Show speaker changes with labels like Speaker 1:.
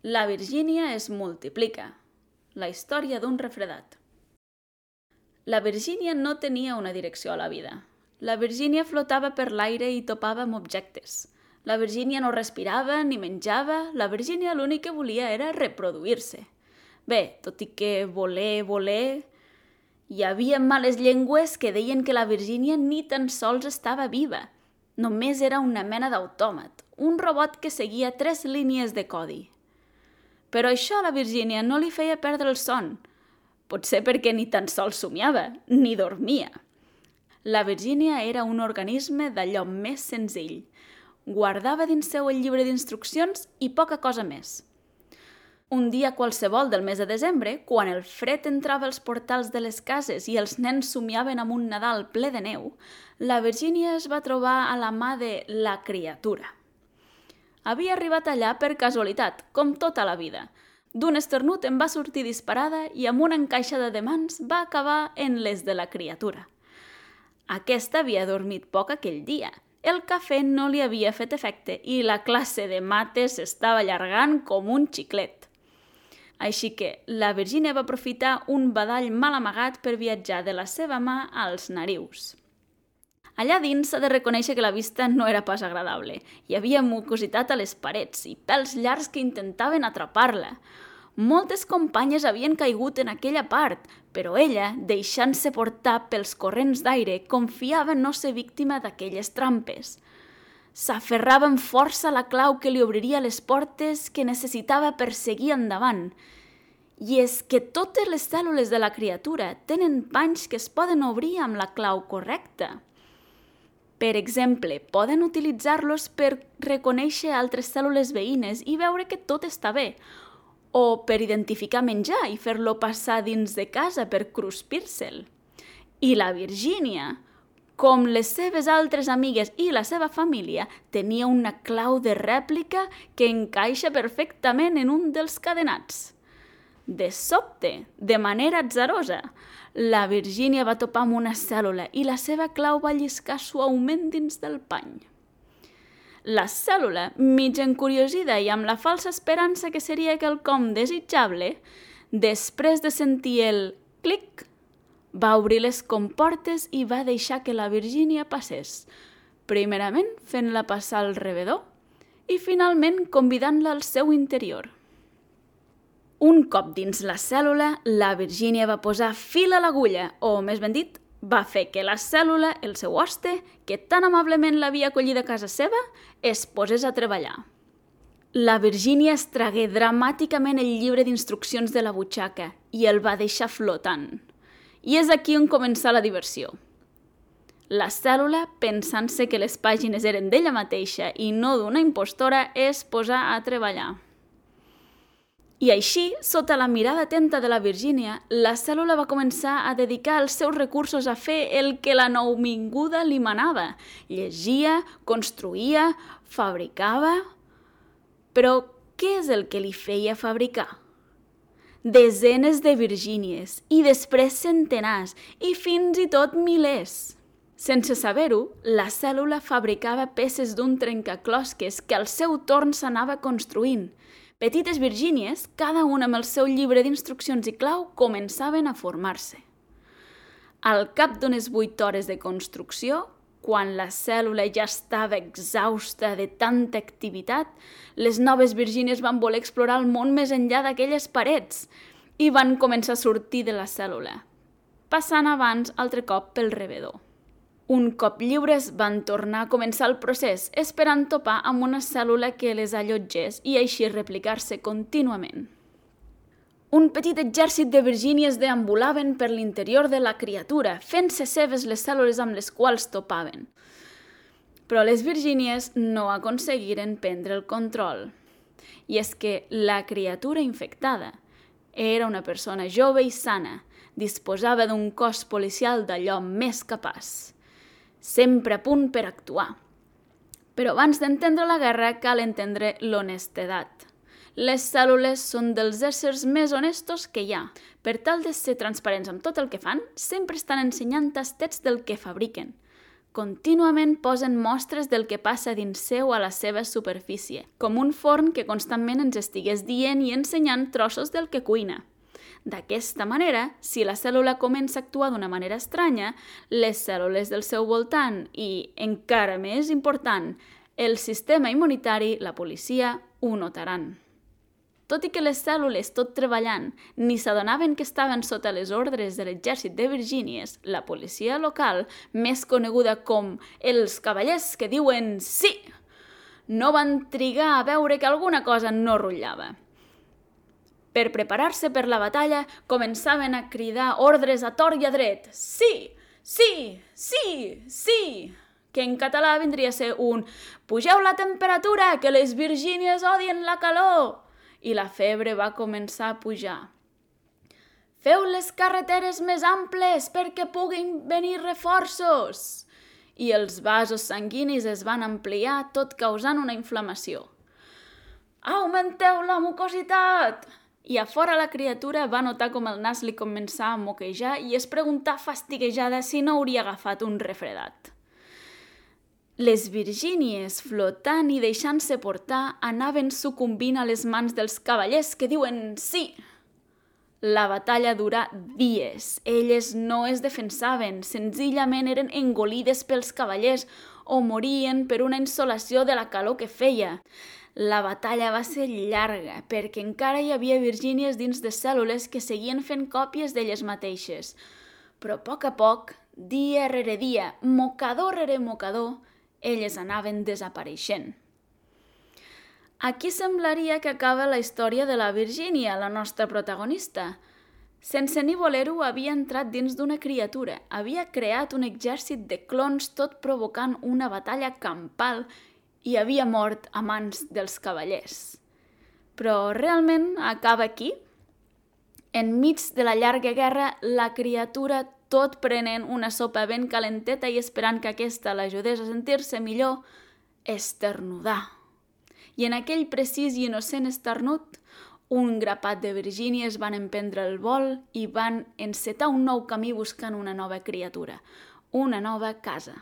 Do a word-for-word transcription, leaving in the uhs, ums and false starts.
Speaker 1: La Virgínia es multiplica. La història d'un refredat. La Virgínia no tenia una direcció a la vida. La Virgínia flotava per l'aire i topava amb objectes. La Virgínia no respirava ni menjava. La Virgínia l'únic que volia era reproduir-se. Bé, tot i que voler, voler... Hi havia males llengües que deien que la Virgínia ni tan sols estava viva. Només era una mena d'autòmat, un robot que seguia tres línies de codi. Però això a la Virgínia no li feia perdre el son. Potser perquè ni tan sols somiava, ni dormia. La Virgínia era un organisme d'allò més senzill. Guardava dins seu el llibre d'instruccions i poca cosa més. Un dia qualsevol del mes de desembre, quan el fred entrava als portals de les cases i els nens somiaven amb un Nadal ple de neu, la Virgínia es va trobar a la mà de la criatura. Havia arribat allà per casualitat, com tota la vida. D'un esternut en va sortir disparada i amb una encaixada de mans va acabar en les de la criatura. Aquesta havia dormit poc aquell dia. El cafè no li havia fet efecte i la classe de mates s'estava allargant com un xiclet. Així que la Virgínia va aprofitar un badall mal amagat per viatjar de la seva mà als narius. Allà dins s'ha de reconèixer que la vista no era pas agradable. Hi havia mucositat a les parets i pèls llargs que intentaven atrapar-la. Moltes companyes havien caigut en aquella part, però ella, deixant-se portar pels corrents d'aire, confiava no ser víctima d'aquelles trampes. S'aferrava amb força a la clau que li obriria les portes que necessitava per seguir endavant. I és que totes les cèl·lules de la criatura tenen panys que es poden obrir amb la clau correcta. Per exemple, poden utilitzar-los per reconèixer altres cèl·lules veïnes i veure que tot està bé, o per identificar menjar i fer-lo passar dins de casa per cruspir-se'l. I la Virgínia, com les seves altres amigues i la seva família, tenia una clau de rèplica que encaixa perfectament en un dels cadenats. De sobte, de manera atzarosa, la Virgínia va topar amb una cèl·lula i la seva clau va lliscar suaument dins del pany. La cèl·lula, mig encuriosida i amb la falsa esperança que seria quelcom desitjable, després de sentir el clic, va obrir les comportes i va deixar que la Virgínia passés, primerament fent-la passar al rebedor i finalment convidant-la al seu interior. Un cop dins la cèl·lula, la Virgínia va posar fil a l'agulla, o més ben dit, va fer que la cèl·lula, el seu hoste, que tan amablement l'havia acollit a casa seva, es posés a treballar. La Virgínia es tragué dramàticament el llibre d'instruccions de la butxaca i el va deixar flotant. I és aquí on comença la diversió. La cèl·lula, pensant-se que les pàgines eren d'ella mateixa i no d'una impostora, es posà a treballar. I així, sota la mirada atenta de la Virgínia, la cèl·lula va començar a dedicar els seus recursos a fer el que la nouvinguda li manava. Llegia, construïa, fabricava... Però què és el que li feia fabricar? Desenes de Virgínies, i després centenars, i fins i tot milers. Sense saber-ho, la cèl·lula fabricava peces d'un trencaclosques que al seu torn s'anava construint. Petites Virgínies, cada una amb el seu llibre d'instruccions i clau, començaven a formar-se. Al cap d'unes vuit hores de construcció, quan la cèl·lula ja estava exhausta de tanta activitat, les noves Virgínies van voler explorar el món més enllà d'aquelles parets i van començar a sortir de la cèl·lula, passant abans altre cop pel rebedor. Un cop lliures van tornar a començar el procés, esperant topar amb una cèl·lula que les allotgés i així replicar-se contínuament. Un petit exèrcit de Virgínies deambulaven per l'interior de la criatura, fent-se seves les cèl·lules amb les quals topaven. Però les Virgínies no aconseguiren prendre el control. I és que la criatura infectada era una persona jove i sana, disposava d'un cos policial d'allò més capaç, sempre a punt per actuar. Però abans d'entendre la guerra cal entendre l'honestedat. Les cèl·lules són dels éssers més honestos que hi ha. Per tal de ser transparents amb tot el que fan, sempre estan ensenyant tastets del que fabriquen. Contínuament posen mostres del que passa dins seu a la seva superfície, com un forn que constantment ens estigués dient i ensenyant trossos del que cuina. D'aquesta manera, si la cèl·lula comença a actuar d'una manera estranya, les cèl·lules del seu voltant i, encara més important, el sistema immunitari, la policia, ho notaran. Tot i que les cèl·lules, tot treballant, ni s'adonaven que estaven sota les ordres de l'exèrcit de Virgínies, la policia local, més coneguda com els cavallers que diuen sí, no van trigar a veure que alguna cosa no rutllava. Per preparar-se per la batalla, començaven a cridar ordres a tort i a dret. Sí, sí, sí, sí, que en català vindria a ser un «Pugeu la temperatura, que les Virgínies odien la calor!» I la febre va començar a pujar. «Feu les carreteres més amples perquè puguin venir reforços!» I els vasos sanguinis es van ampliar, tot causant una inflamació. «Augmenteu la mucositat!» I a fora la criatura va notar com el nas li començava a moquejar i es preguntà fastiguejada si no hauria agafat un refredat. Les Virgínies, flotant i deixant-se portar, anaven sucumbint a les mans dels cavallers que diuen sí. La batalla durà dies. Elles no es defensaven, senzillament eren engolides pels cavallers o morien per una insolació de la calor que feia. La batalla va ser llarga, perquè encara hi havia Virgínies dins de cèl·lules que seguien fent còpies d'elles mateixes. Però a poc a poc, dia rere dia, mocador rere mocador, elles anaven desapareixent. Aquí semblaria que acaba la història de la Virgínia, la nostra protagonista. Sense ni voler-ho, havia entrat dins d'una criatura, havia creat un exèrcit de clons tot provocant una batalla campal i havia mort a mans dels cavallers. Però realment acaba aquí? Enmig de la llarga guerra, la criatura, tot prenent una sopa ben calenteta i esperant que aquesta l'ajudés a sentir-se millor, esternudà. I en aquell precís i innocent esternut, un grapat de Virgínies van emprendre el vol i van encetar un nou camí buscant una nova criatura, una nova casa.